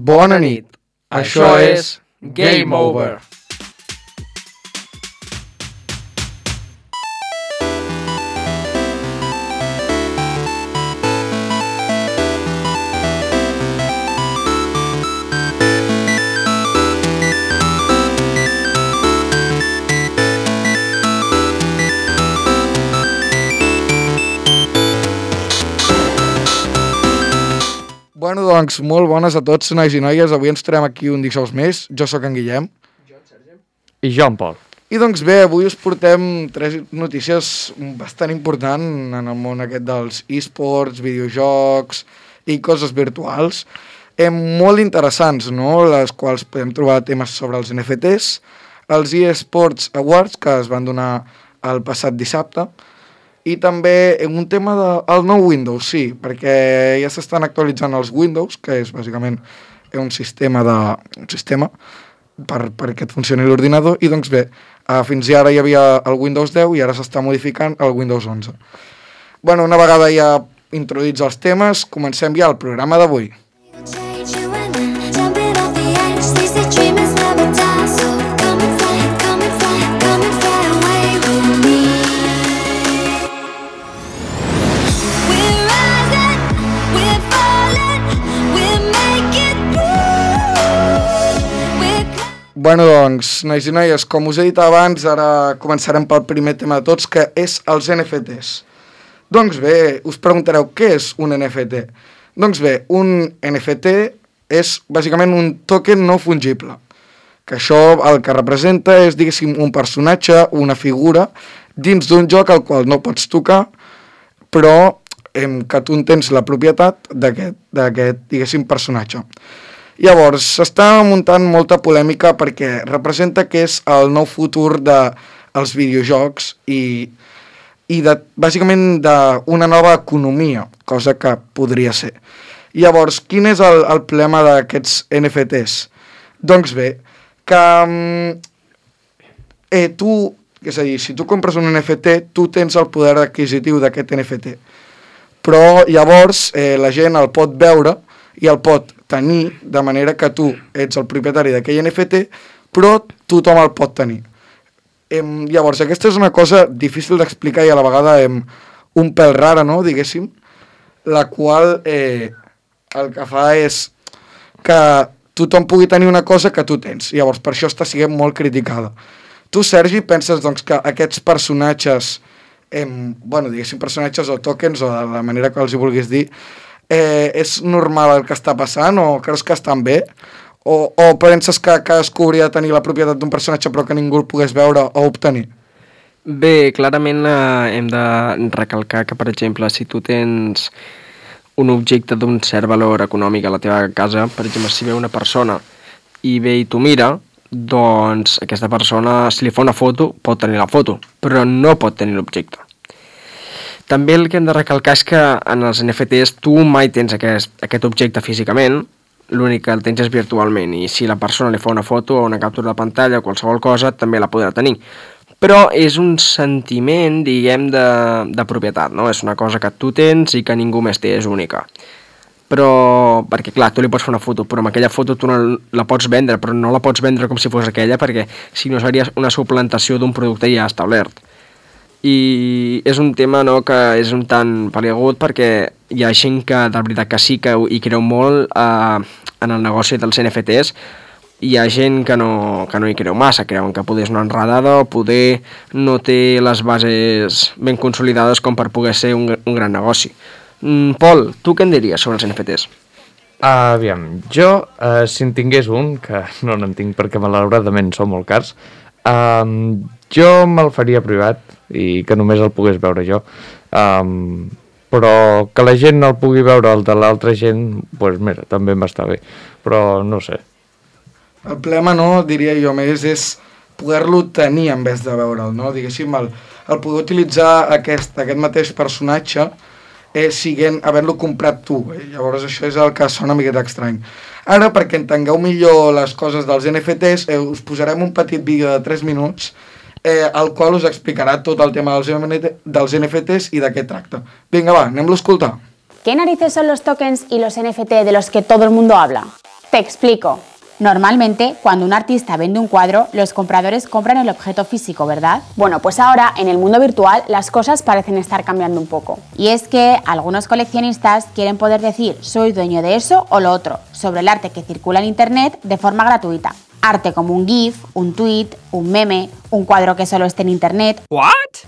Bona nit. Això és Game Over. Bueno, doncs, molt bones a tots, nois i noies. Avui ens trobem aquí un dijous més. Jo sóc en Guillem. Jo, en Sergi. I jo, en Pol. I doncs bé, avui us portem 3 notícies bastant importants en el món aquest dels esports, videojocs i coses virtuals. Molt interessants, no?, les quals podem trobar temes sobre els NFTs, els eSports Awards, que es van donar el passat dissabte, i també un tema del nou Windows, sí, perquè ja s'estan actualitzant els Windows, que és bàsicament un sistema perquè et funcioni l'ordinador, i doncs bé, fins ara hi havia el Windows 10 i ara s'està modificant el Windows 11. Bueno, una vegada ja introduïts els temes, comencem ja el programa d'avui. Bueno, doncs, nois i noies, com us he dit abans, ara començarem pel primer tema de tots, que és els NFTs. Doncs bé, us preguntareu, què és un NFT? Doncs bé, un NFT és bàsicament un token no fungible, que això el que representa és, diguéssim, un personatge, una figura, dins d'un joc al qual no pots tocar, però que tu en tens la propietat d'aquest, diguéssim, personatge. Llavors, s'està muntant molta polèmica perquè representa que és el nou futur dels videojocs i bàsicament d'una nova economia, cosa que podria ser. Llavors, quin és el problema d'aquests NFTs? Doncs bé, que és a dir, si tu compres un NFT, tu tens el poder adquisitiu d'aquest NFT. Però llavors la gent el pot veure i el pot tenir, de manera que tu ets el propietari d'aquell NFT, però tothom el pot tenir. Llavors, aquesta és una cosa difícil d'explicar i a la vegada un pèl rara, no?, diguéssim, la qual el que fa és que tothom pugui tenir una cosa que tu tens. Llavors, per això està sent molt criticada. Tu, Sergi, penses doncs, que aquests personatges, diguéssim, personatges o tokens, o de la manera que els hi vulguis dir, és normal el que està passant o creus que estan bé? O penses que cadascú hauria de tenir la propietat d'un personatge però que ningú el pogués veure o obtenir? Bé, clarament hem de recalcar que, per exemple, si tu tens un objecte d'un cert valor econòmic a la teva casa, per exemple, si ve una persona i ve i t'ho mira, doncs aquesta persona, si li fa una foto, pot tenir la foto, però no pot tenir l'objecte. També el que hem de recalcar és que en els NFTs tu mai tens aquest objecte físicament, l'únic que el tens és virtualment, i si la persona li fa una foto o una captura de pantalla o qualsevol cosa, també la podrà tenir. Però és un sentiment, diguem, de propietat, no? És una cosa que tu tens i que ningú més té, és única. Però, perquè clar, tu li pots fer una foto, però amb aquella foto tu no la pots vendre, però no la pots vendre com si fos aquella, perquè si no seria una suplantació d'un producte ja establert. I és un tema, no, que és un tant peliagut perquè hi ha gent que de veritat que sí que hi creu molt en el negoci dels NFTs. Hi ha gent que no hi creu massa, creuen que poder és una enredada o poder no té les bases ben consolidades com per poder ser un gran negoci. Pol, tu què en diries sobre els NFTs? Aviam, jo, si en tingués un, que no n'en tinc perquè malauradament són molt cars, jo me'l faria privat i que només el pogués veure jo, però que la gent no el pugui veure el de l'altra gent, doncs mira, també m'està bé, però no sé. El problema, no, diria jo més, és poder-lo tenir en vez de veure'l, no? Diguéssim, el poder utilitzar aquest mateix personatge havent-lo comprat tu. Llavors això és el que sona una miqueta estrany. Ara, perquè entengueu millor les coses dels NFTs, us posarem un petit vídeo de 3 minuts el qual us explicarà tot el tema dels NFTs i de què tracta. Vinga, va, anem-lo a escoltar. ¿Qué narices son los tokens y los NFT de los que todo el mundo habla? Te explico. Normalmente, cuando un artista vende un cuadro, los compradores compran el objeto físico, ¿verdad? Bueno, pues ahora, en el mundo virtual, las cosas parecen estar cambiando un poco. Y es que algunos coleccionistas quieren poder decir soy dueño de eso o lo otro, sobre el arte que circula en Internet de forma gratuita. Arte como un GIF, un tweet, un meme, un cuadro que solo esté en Internet,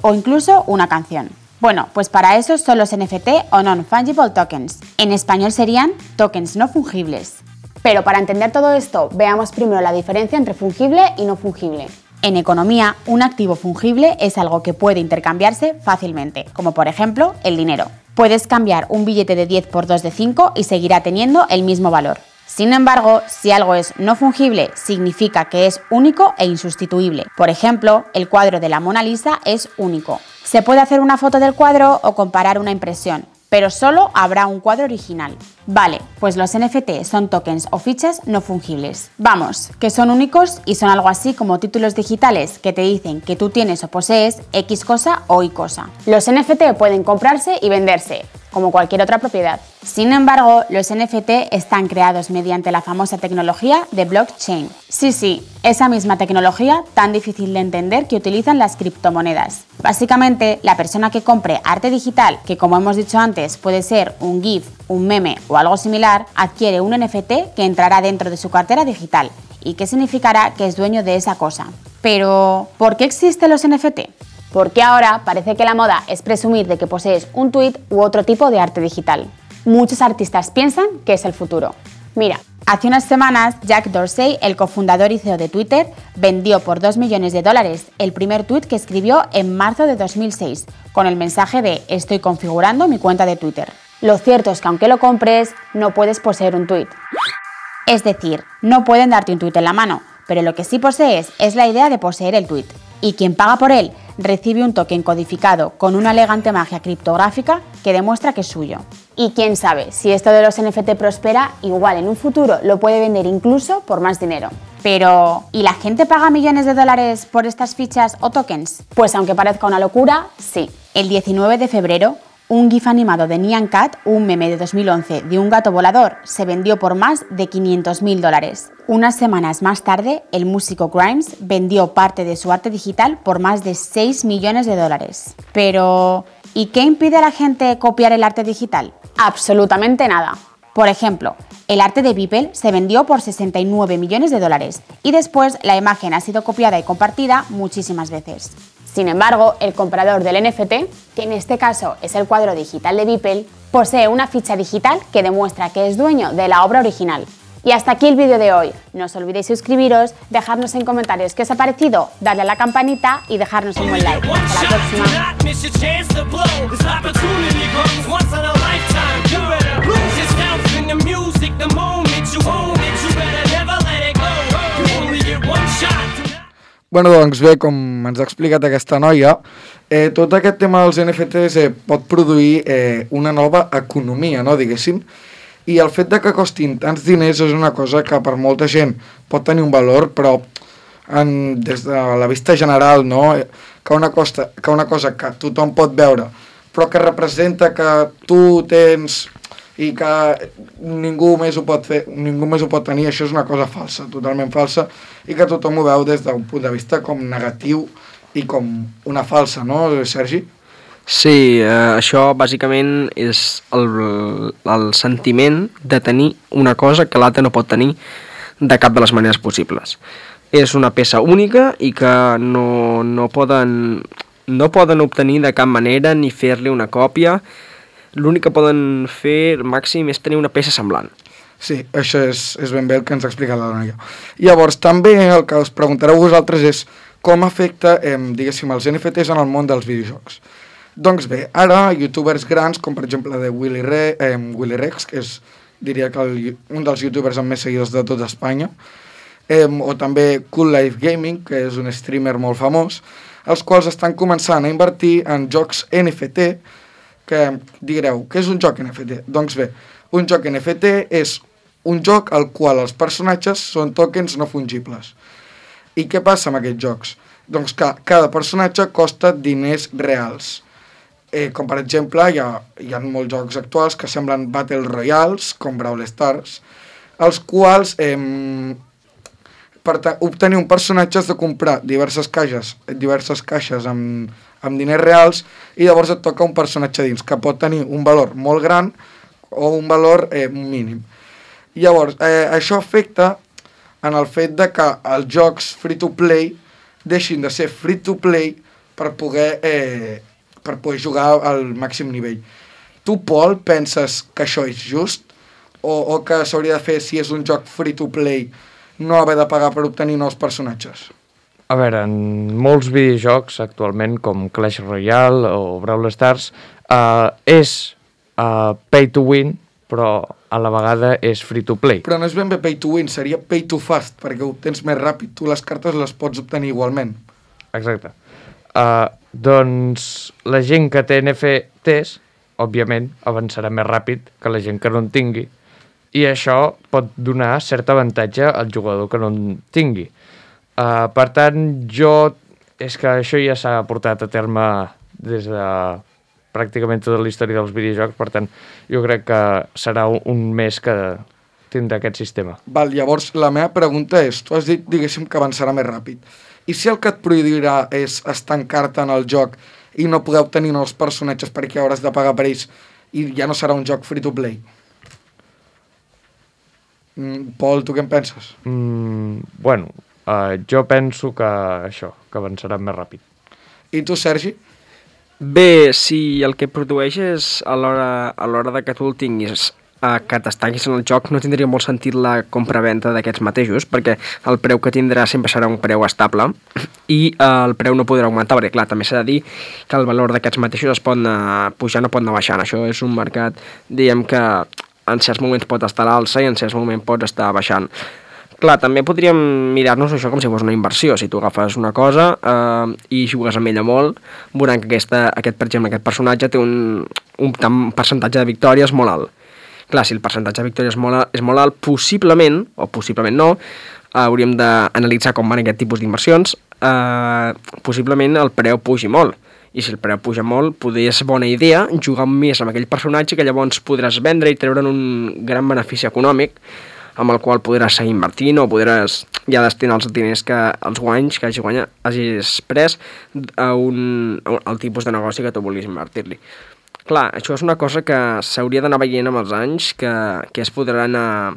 o incluso una canción. Bueno, pues para eso son los NFT o Non-Fungible Tokens. En español serían tokens no fungibles. Pero para entender todo esto, veamos primero la diferencia entre fungible y no fungible. En economía, un activo fungible es algo que puede intercambiarse fácilmente, como por ejemplo el dinero. Puedes cambiar un billete de 10 por 2 de 5 y seguirá teniendo el mismo valor. Sin embargo, si algo es no fungible, significa que es único e insustituible. Por ejemplo, el cuadro de la Mona Lisa es único. Se puede hacer una foto del cuadro o comparar una impresión, pero solo habrá un cuadro original. Vale, pues los NFT son tokens o fichas no fungibles. Vamos, que son únicos y son algo así como títulos digitales que te dicen que tú tienes o posees X cosa o Y cosa. Los NFT pueden comprarse y venderse, como cualquier otra propiedad. Sin embargo, los NFT están creados mediante la famosa tecnología de blockchain. Sí, esa misma tecnología tan difícil de entender que utilizan las criptomonedas. Básicamente, la persona que compre arte digital, que como hemos dicho antes puede ser un GIF, un meme o algo similar, adquiere un NFT que entrará dentro de su cartera digital y que significará que es dueño de esa cosa. Pero, ¿por qué existen los NFT? Porque ahora parece que la moda es presumir de que posees un tweet u otro tipo de arte digital. Muchos artistas piensan que es el futuro. Mira, hace unas semanas Jack Dorsey, el cofundador y CEO de Twitter, vendió por $2 millones el primer tweet que escribió en marzo de 2006, con el mensaje de «Estoy configurando mi cuenta de Twitter». Lo cierto es que aunque lo compres, no puedes poseer un tweet. Es decir, no pueden darte un tweet en la mano, pero lo que sí posees es la idea de poseer el tweet. Y quien paga por él recibe un token codificado con una elegante magia criptográfica que demuestra que es suyo. Y quién sabe, si esto de los NFT prospera, igual en un futuro lo puede vender incluso por más dinero. Pero, ¿y la gente paga millones de dólares por estas fichas o tokens? Pues aunque parezca una locura, sí. El 19 de febrero, un GIF animado de Nyan Cat, un meme de 2011 de un gato volador, se vendió por más de $500.000. Unas semanas más tarde, el músico Grimes vendió parte de su arte digital por más de $6 millones. Pero, ¿y qué impide a la gente copiar el arte digital? Absolutamente nada. Por ejemplo, el arte de Beeple se vendió por $69 millones y después la imagen ha sido copiada y compartida muchísimas veces. Sin embargo, el comprador del NFT, que en este caso es el cuadro digital de Beeple, posee una ficha digital que demuestra que es dueño de la obra original. Y hasta aquí el vídeo de hoy. No os olvidéis suscribiros, dejarnos en comentarios qué os ha parecido, darle a la campanita y dejarnos un buen like. Hasta la próxima. Bueno, doncs bé, com ens ha explicat aquesta noia, tot aquest tema dels NFTs pot produir una nova economia, no, diguéssim, i el fet de que costin tants diners és una cosa que per molta gent pot tenir un valor, però des de la vista general, no, que una cosa que tothom pot veure, però que representa que tu tens i que ningú més ho pot fer, ningú més ho pot tenir, això és una cosa falsa, totalment falsa, i que tothom ho veu des d'un punt de vista com negatiu i com una falsa, no, Sergi? Sí, això bàsicament és el sentiment de tenir una cosa que l'altre no pot tenir de cap de les maneres possibles. És una peça única i que no poden obtenir de cap manera ni fer-li una còpia. L'únic que poden fer màxim és tenir una peça semblant. Sí, això és ben bé el que ens ha explicat la noia. Llavors, també el que us preguntareu vosaltres és com afecta, diguéssim, els NFTs en el món dels videojocs. Doncs bé, ara youtubers grans, com per exemple de Willy Rex, que és, diria que un dels youtubers amb més seguidors de tot Espanya, o també Cool Life Gaming, que és un streamer molt famós, els quals estan començant a invertir en jocs NFT, que direu, què és un joc NFT? Doncs bé, un joc NFT és un joc al qual els personatges són tokens no fungibles. I què passa amb aquests jocs? Doncs que cada personatge costa diners reals. Com per exemple, hi ha molts jocs actuals que semblen Battle Royals, com Brawl Stars, els quals per obtenir un personatge has de comprar diverses caixes amb diners reals i llavors et toca un personatge dins que pot tenir un valor molt gran o un valor mínim. Llavors, això afecta en el fet de que els jocs free-to-play deixin de ser free-to-play per poder jugar al màxim nivell. Tu, Pol, penses que això és just? O que s'hauria de fer, si és un joc free-to-play, no haver de pagar per obtenir nous personatges? A veure, en molts videojocs actualment, com Clash Royale o Brawl Stars, és pay to win, però a la vegada és free to play. Però no és ben bé pay to win, seria pay to fast, perquè ho tens més ràpid. Tu les cartes les pots obtenir igualment. Exacte. Doncs la gent que té NFTs, òbviament, avançarà més ràpid que la gent que no en tingui, i això pot donar cert avantatge al jugador que no en tingui. Per tant, és que això ja s'ha portat a terme des de pràcticament tota la història dels videojocs, per tant, jo crec que serà un mes que tindrà aquest sistema. Val, llavors, la meva pregunta és, tu has dit, diguéssim, que avançarà més ràpid. I si el que et prohibirà és estancar-te en el joc i no poder obtenir nous personatges perquè hauràs de pagar per ells i ja no serà un joc free-to-play? Pol, tu què en penses? Bueno, jo penso que això, que avançarà més ràpid. I tu, Sergi? Bé, si el que produeix és a l'hora de que tu el tinguis, que t'estanquis en el joc, no tindria molt sentit la compra-venda d'aquests mateixos, perquè el preu que tindrà sempre serà un preu estable i el preu no podrà augmentar, perquè clar, també s'ha de dir que el valor d'aquests mateixos es pot anar pujant o pot anar baixant. Això és un mercat, diguem que en certs moments pot estar a l'alça i en certs moments pot estar baixant. Clar, també podríem mirar-nos això com si fos una inversió. Si tu agafes una cosa i jugues amb ella molt, veuran que per exemple, aquest personatge té un percentatge de victòries molt alt. Clar, si el percentatge de victòries és molt alt, possiblement, o possiblement no, hauríem d'analitzar com van aquest tipus d'inversions, possiblement el preu pugi molt. I si el preu puja molt, potser és bona idea jugar més amb aquell personatge que llavors podràs vendre i treure'n un gran benefici econòmic amb el qual podràs seguir invertint o podràs ja destinar els diners els guanys que hagis pres al tipus de negoci que tu vulguis invertir-li. Clar, això és una cosa que s'hauria d'anar veient amb els anys, que es podrà anar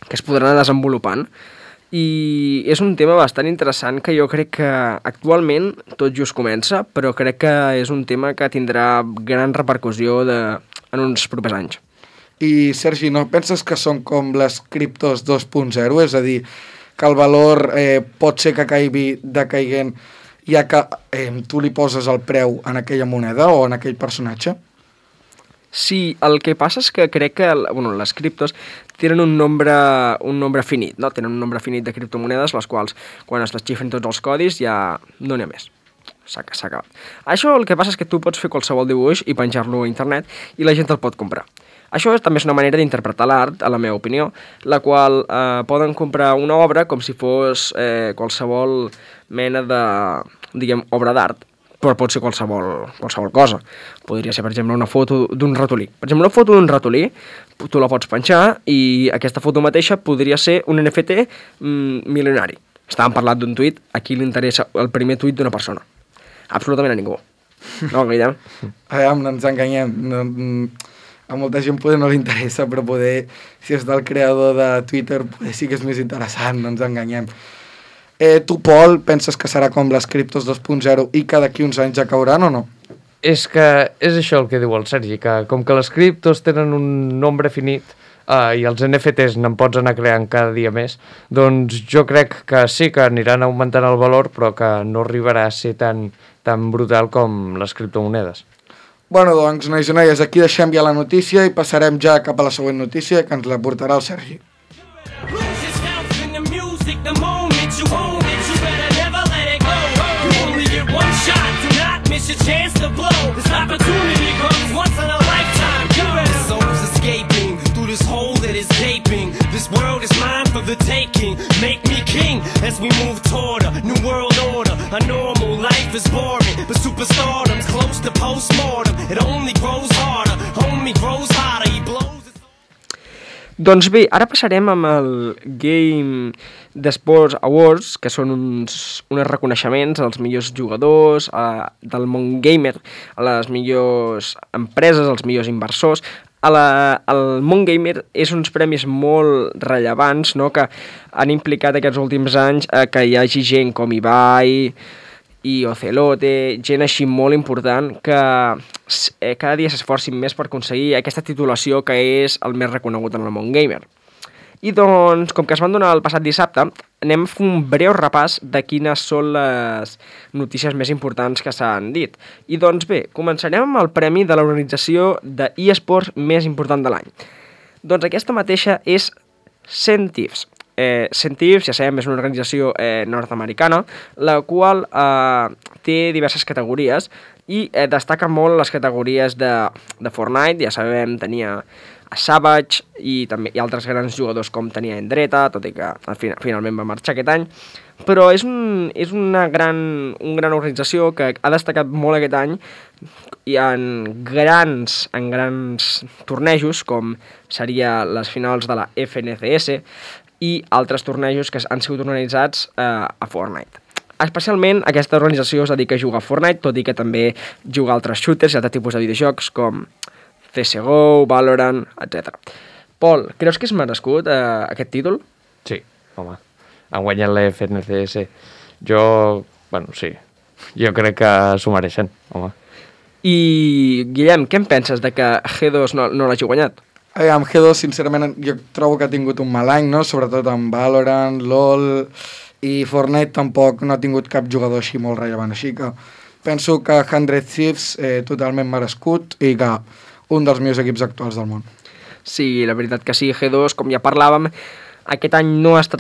desenvolupant, i és un tema bastant interessant que jo crec que actualment tot just comença, però crec que és un tema que tindrà gran repercussió en uns propers anys. I, Sergi, no penses que són com les criptos 2.0? És a dir, que el valor pot ser que caigui decaiguent ja que tu li poses el preu en aquella moneda o en aquell personatge? Sí, el que passa és que crec que les criptos tenen un nombre finit, no? Tenen un nombre finit de criptomonedes, les quals, quan es desxifren tots els codis, ja no n'hi ha més. S'ha acabat. Això el que passa és que tu pots fer qualsevol dibuix i penjar-lo a internet i la gent el pot comprar. Això també és una manera d'interpretar l'art, a la meva opinió, la qual poden comprar una obra com si fos qualsevol mena de, obra d'art, però pot ser qualsevol cosa. Podria ser, per exemple, una foto d'un ratolí. Per exemple, una foto d'un ratolí, tu la pots penjar i aquesta foto mateixa podria ser un NFT milionari. Estàvem parlant d'un tuit, a qui li interessa el primer tuit d'una persona? Absolutament a ningú. No, Guillem? No ens enganyem. A molta gent poder no li interessa, però poder, si és del creador de Twitter, poder sí que és més interessant, no ens enganyem. Tu, Pol, penses que serà com les criptos 2.0 i que d'aquí uns anys ja cauran o no? És que és això el que diu el Sergi, que com que les criptos tenen un nombre finit i els NFTs n'en pots anar creant cada dia més, doncs jo crec que sí que aniran augmentant el valor, però que no arribarà a ser tan brutal com les criptomonedes. Bueno, doncs, nois i noies, aquí deixem ja la notícia i passarem ja cap a la següent notícia, que ens la portarà el Sergi. This world is mine for the taking. Make me king as we move toward a new world order. A normal life is boring, but superstardom's close to postmortem. It only grows harder, homie grows hotter, he blows. Doncs bé, ara passarem amb el Game d'Esports Awards, que són uns reconeixements als millors jugadors del món gamer, a les millors empreses, als millors inversors. El món gamer és uns premis molt rellevants, no?, que han implicat aquests últims anys que hi hagi gent com Ibai i Ocelote, gent així molt important que cada dia s'esforcin més per aconseguir aquesta titulació que és el més reconegut en el món gamer. I doncs, com que es van donar el passat dissabte, anem a fer un breu repàs de quines són les notícies més importants que s'han dit. I doncs bé, començarem amb el premi de l'organització d'eSports més important de l'any. Doncs aquesta mateixa és CENTIFS. CENTIFS, ja sabem, és una organització nord-americana, la qual té diverses categories i destaca molt les categories de Fortnite. Ja sabem, tenia a Savage i també hi ha altres grans jugadors com tenia Endreta, tot i que finalment va marxar aquest any, però és una gran organització que ha destacat molt aquest any i en grans tornejos, com seria les finals de la FNCS i altres tornejos que han sigut organitzats a Fortnite. Especialment aquesta organització es dedica a jugar a Fortnite, tot i que també juga a altres shooters i altres tipus de videojocs com CSGO, Valorant, etc. Pol, creus que és merescut aquest títol? Sí, home. Han guanyat la FNCS. Sí. Jo crec que s'ho mereixen, home. I, Guillem, què en penses de que G2 no l'hagi guanyat? Amb G2, sincerament, jo trobo que ha tingut un mal any, no? Sobretot amb Valorant, LoL i Fortnite tampoc no ha tingut cap jugador així molt rellevant. Així que penso que 100 Thieves totalment merescut i que un dels millors equips actuals del món. Sí, la veritat que sí, G2, com ja parlàvem, aquest any no està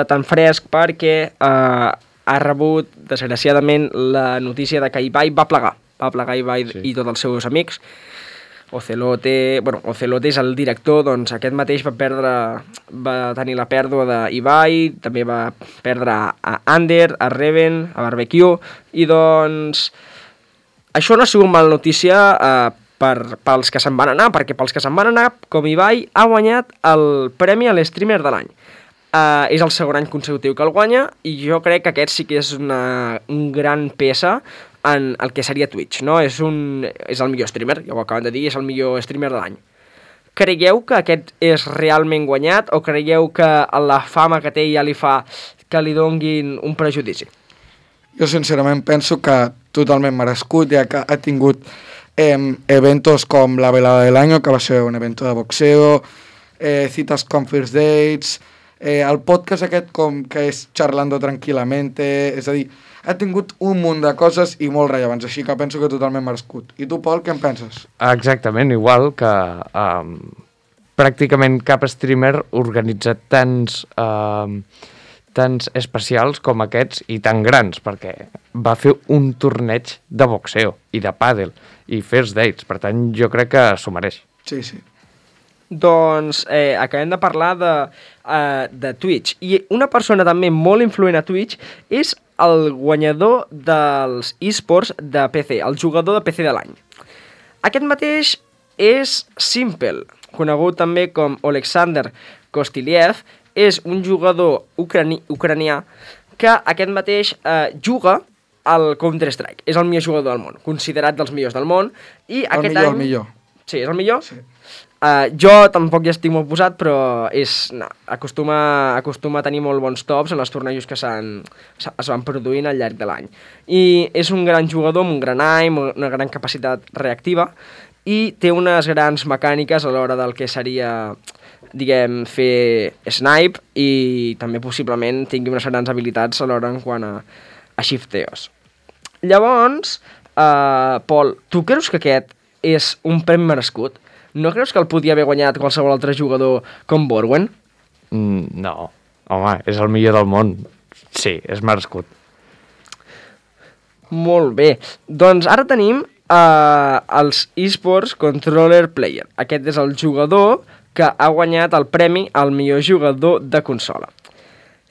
tan fresc perquè ha rebut, desgraciadament, la notícia de que Ibai va plegar. Va plegar Ibai i tots els seus amics. Ocelote és el director, doncs aquest mateix va tenir la pèrdua d'Ibai, també va perdre a Ander, a Reven, a Barbecue, i doncs això no ha sigut mala notícia pels que se'n van anar, perquè pels que se'n van anar, com Ibai, ha guanyat el premi a l'streamer de l'any. És el segon any consecutiu que el guanya i jo crec que aquest sí que és una gran peça en el que seria Twitch, no? És el millor streamer, ja ho acaben de dir, és el millor streamer de l'any. Creieu que aquest és realment guanyat o creieu que la fama que té ja li fa que li donguin un prejudici? Jo sincerament penso que totalment merescut, ja que ha tingut eventos com la velada del año, que va ser un evento de boxeo, citas com First Dates, el podcast aquest que és Charlando Tranquilamente, és a dir, ha tingut un munt de coses i molt rellevants, així que penso que totalment merescut. I tu, Pol, què en penses? Exactament, igual que pràcticament cap streamer organitza tants especials com aquests i tan grans, perquè va fer un torneig de boxeo i de pàdel i first dates, per tant jo crec que s'ho mereix. Sí. Doncs acabem de parlar de Twitch, i una persona també molt influent a Twitch és el guanyador dels eSports de PC, el jugador de PC de l'any. Aquest mateix és Simple, conegut també com Oleksandr Kostiliev, és un jugador ucranià que aquest mateix juga al Counter-Strike. És el millor jugador del món, considerat dels millors del món. I aquest any... El millor. Sí, és el millor? Sí. Jo tampoc ja estic molt posat, però acostuma a tenir molt bons tops en els tornejos que es van produint al llarg de l'any. I és un gran jugador amb un gran aim, una gran capacitat reactiva, i té unes grans mecàniques a l'hora del que seria, diguem, fer snipe, i també possiblement tingui unes grans habilitats a l'hora en quant a shifteos. Llavors, Pol, tu creus que aquest és un premi merescut? No creus que el podia haver guanyat qualsevol altre jugador com Borwen? No, home, és el millor del món. Sí, és merescut. Molt bé. Doncs ara tenim els eSports Controller Player. Aquest és el jugador que ha guanyat el premi al millor jugador de consola.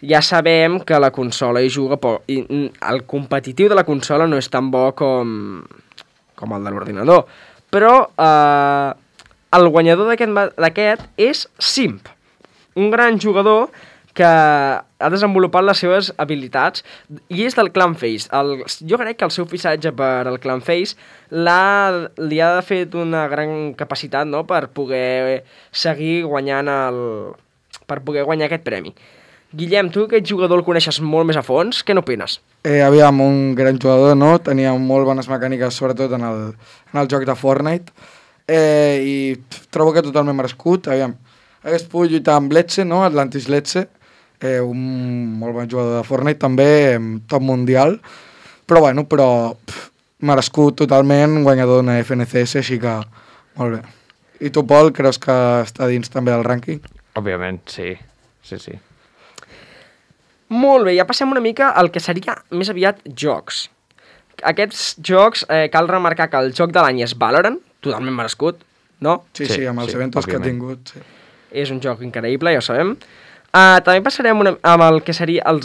Ja sabem que la consola hi juga poc, i el competitiu de la consola no és tan bo com el de l'ordinador, però el guanyador d'aquest és Simp, un gran jugador que ha desenvolupat les seves habilitats i és del Clan Face. Jo crec que el seu fitxatge per al Clan Face li ha fet una gran capacitat, no?, per poder seguir guanyant per poder guanyar aquest premi. Guillem, tu aquest jugador el coneixes molt més a fons, què n'opines? Aviam, un gran jugador, no? Tenia molt bones mecàniques, sobretot en el joc de Fortnite, i trobo que totalment merescut. Aviam, hagués pogut lluitar amb Letze, no? Atlantis Letze, un molt bon jugador de Fortnite, també top mundial, però merescut totalment, guanyador d'una FNCS, així que molt bé. I tu, Pol, creus que està dins també del rànquing? Òbviament, sí. Molt bé, ja passem una mica al que seria més aviat jocs. Aquests jocs, cal remarcar que el joc de l'any és Valorant, totalment merescut, no? Sí, amb els eventos que ha tingut. Sí. És un joc increïble, ja ho sabem. També passarem amb el que seria el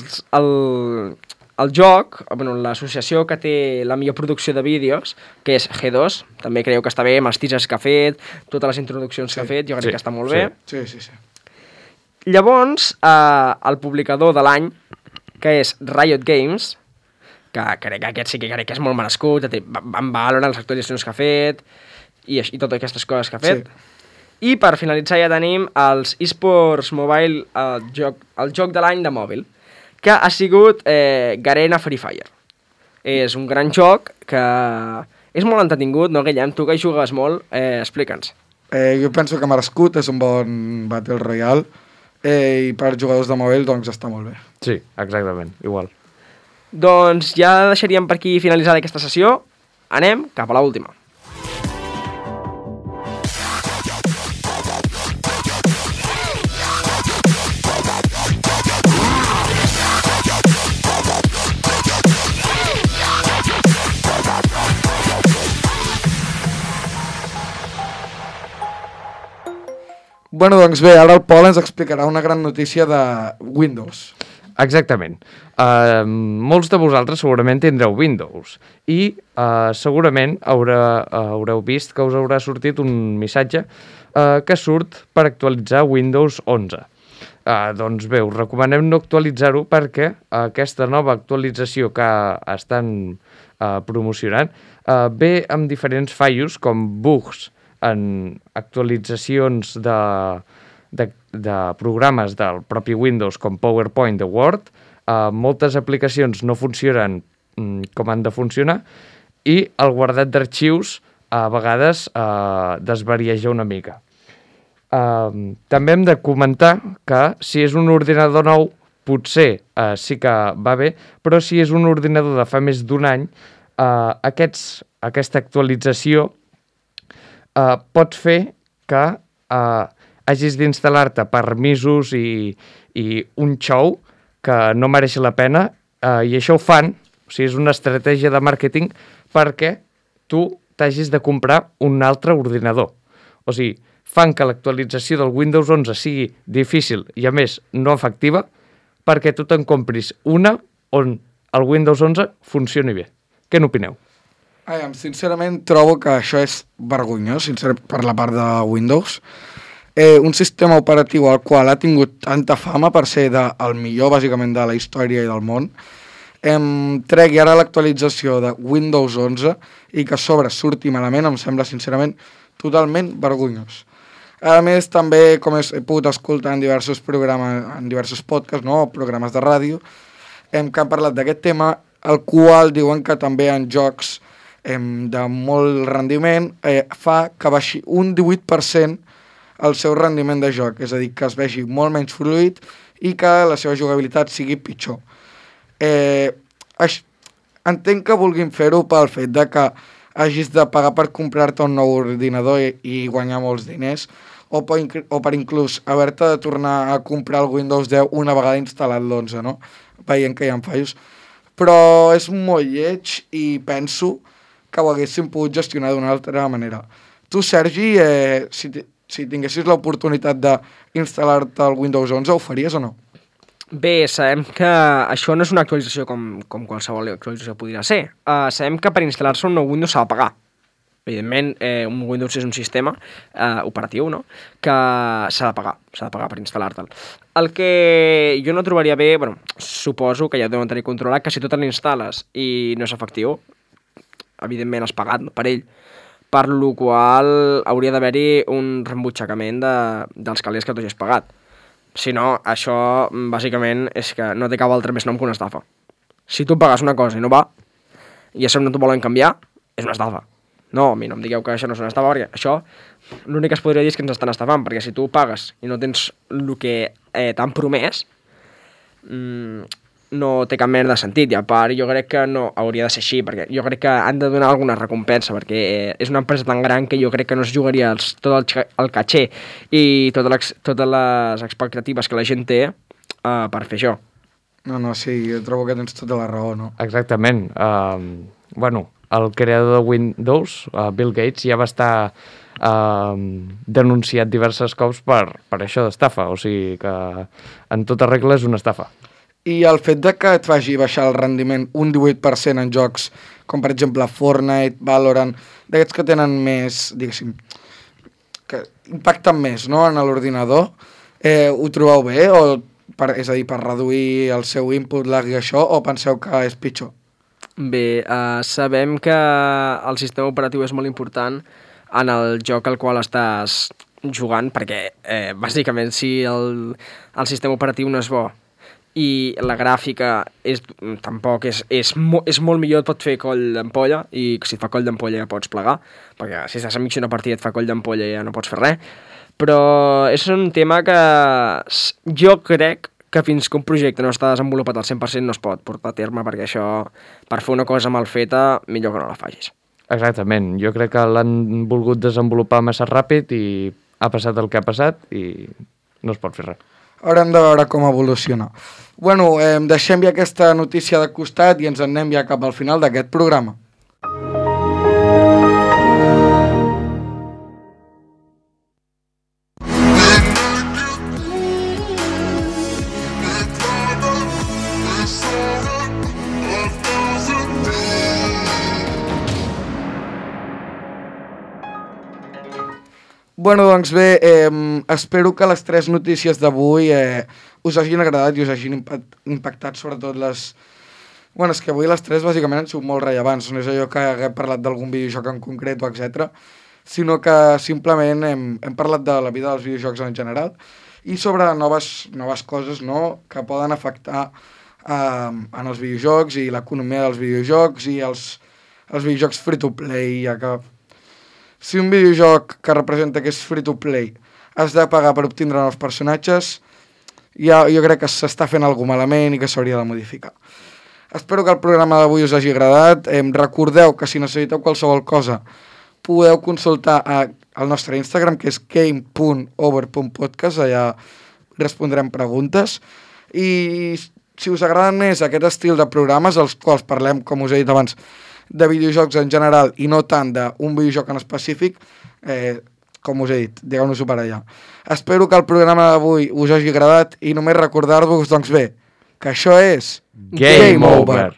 joc, l'associació que té la millor producció de vídeos, que és G2, també creu que està bé, amb els teasers que ha fet, totes les introduccions que ha fet, jo crec que està molt bé. Sí. Llavors, el publicador de l'any, que és Riot Games, que crec que aquest sí que crec que és molt merescut, van valorar les actualitzacions que ha fet i totes aquestes coses que ha fet. Sí. I per finalitzar ja tenim els eSports Mobile, el joc de l'any de mòbil, que ha sigut Garena Free Fire. És un gran joc que és molt entretingut, no, Guillem? Tu que hi jugues molt, explica'ns. Jo penso que merescut, és un bon Battle Royale, i per jugadors de mòbil doncs està molt bé. Sí, exactament, igual. Doncs ja deixaríem per aquí finalitzada aquesta sessió. Anem cap a l'última. Bueno, doncs bé, ara el Pol ens explicarà una gran notícia de Windows. Exactament. Molts de vosaltres segurament tindreu Windows i segurament haureu vist que us haurà sortit un missatge que surt per actualitzar Windows 11. Doncs bé, us recomanem no actualitzar-ho perquè aquesta nova actualització que estan promocionant ve amb diferents fallos com bugs en actualitzacions de programes del propi Windows com PowerPoint o Word, moltes aplicacions no funcionen com han de funcionar i el guardat d'arxius a vegades desvarieja una mica. També hem de comentar que si és un ordinador nou potser sí que va bé, però si és un ordinador de fa més d'un any, aquesta actualització pot fer que hagis d'instal·lar-te permisos i un xou que no mereix la pena, i això ho fan, o sigui, és una estratègia de màrqueting perquè tu t'hagis de comprar un altre ordinador. O sigui, fan que l'actualització del Windows 11 sigui difícil i, a més, no efectiva perquè tu te'n compris una on el Windows 11 funcioni bé. Què n'opineu? Sincerament, trobo que això és vergonyós, per la part de Windows. Un sistema operatiu al qual ha tingut tanta fama per ser el millor, bàsicament, de la història i del món, tregui ara l'actualització de Windows 11 i que a sobre surti malament, em sembla, sincerament, totalment vergonyós. A més, també, com he pogut escoltar en diversos programes, en diversos podcasts, no? Programes de ràdio, que han parlat d'aquest tema, el qual diuen que també en jocs de molt rendiment fa que baixi un 18% el seu rendiment de joc, és a dir, que es vegi molt menys fluid i que la seva jugabilitat sigui pitjor. Entenc que vulguin fer-ho pel fet de que hagis de pagar per comprar-te un nou ordinador i guanyar molts diners, o per inclús haver-te de tornar a comprar el Windows 10 una vegada instal·lat l'11, no? Veient que hi ha fallos. Però és molt lleig i penso que ho haguéssim pogut gestionar d'una altra manera. Tu, Sergi, si tinguessis l'oportunitat d'instal·lar-te el Windows 11, ho faries o no? Bé, sabem que això no és una actualització com qualsevol actualització podria ser. Sabem que per instal·lar-se un nou Windows s'ha de pagar. Evidentment, un Windows és un sistema operatiu, no?, que s'ha de pagar per instal·lar-te'l. El que jo no trobaria bé, bueno, suposo que ja deuen tenir controlat, que si tu te l'instal·les i no és efectiu, evidentment has pagat per ell, per lo qual hauria d'haver-hi un reembutxacament dels calés que tu hagis pagat. Si no, això bàsicament és que no té cap altre més nom que una estafa. Si tu pagues una cosa i no va, i a sobre no t'ho volen canviar, és una estafa. No, a mi no em digueu que això no és una estafa, perquè això l'únic que es podria dir és que ens estan estafant, perquè si tu pagues i no tens el que t'han promès, no té cap mena de sentit, i a part jo crec que no hauria de ser així, perquè jo crec que han de donar alguna recompensa, perquè és una empresa tan gran que jo crec que no es jugaria tot el caché i totes les expectatives que la gent té per fer això. No, sí, jo trobo que tens tota la raó, no? Exactament. Bueno, el creador de Windows, Bill Gates, ja va estar denunciat diversos cops per això d'estafa, o sigui que en tota regla és una estafa. I el fet de que et faci baixar el rendiment un 18% en jocs com per exemple Fortnite, Valorant, d'aquests que tenen més, diguéssim, que impacten més, no?, en l'ordinador, ho trobeu bé? És a dir, per reduir el seu input lag i això, o penseu que és pitjor? Bé, sabem que el sistema operatiu és molt important en el joc al qual estàs jugant, perquè bàsicament si el sistema operatiu no és bo i la gràfica tampoc és molt millor, et pot fer coll d'ampolla, i si et fa coll d'ampolla ja pots plegar, perquè si estàs enmig d'una partida et fa coll d'ampolla ja no pots fer res. Però és un tema que jo crec que fins que un projecte no està desenvolupat al 100% no es pot portar a terme, perquè això, per fer una cosa mal feta, millor que no la facis. Exactament, jo crec que l'han volgut desenvolupar massa ràpid i ha passat el que ha passat i no es pot fer res. Haurem de veure com evoluciona. Bueno, deixem ja aquesta notícia de costat i ens en anem ja cap al final d'aquest programa. Bueno, doncs bé, espero que les 3 notícies d'avui us hagin agradat i us hagin impactat sobretot les... Bueno, és que avui les 3 bàsicament han sigut molt rellevants, no és allò que haguem parlat d'algun videojoc en concret o etc, sinó que simplement hem parlat de la vida dels videojocs en general i sobre noves coses, no?, que poden afectar en els videojocs i l'economia dels videojocs i els videojocs free-to-play, ja que si un videojoc que representa que és free-to-play has de pagar per obtindre nous personatges, jo crec que s'està fent alguna malament i que s'hauria de modificar. Espero que el programa d'avui us hagi agradat. Recordeu que si necessiteu qualsevol cosa podeu consultar al nostre Instagram, que és game.over.podcast, allà respondrem preguntes. I si us agraden més aquest estil de programes, els quals parlem, com us he dit abans, de videojocs en general i no tant d'un videojoc en específic, com us he dit, digueu-nos-ho per allà. Espero que el programa d'avui us hagi agradat i només recordar-vos, doncs bé, que això és Game Over!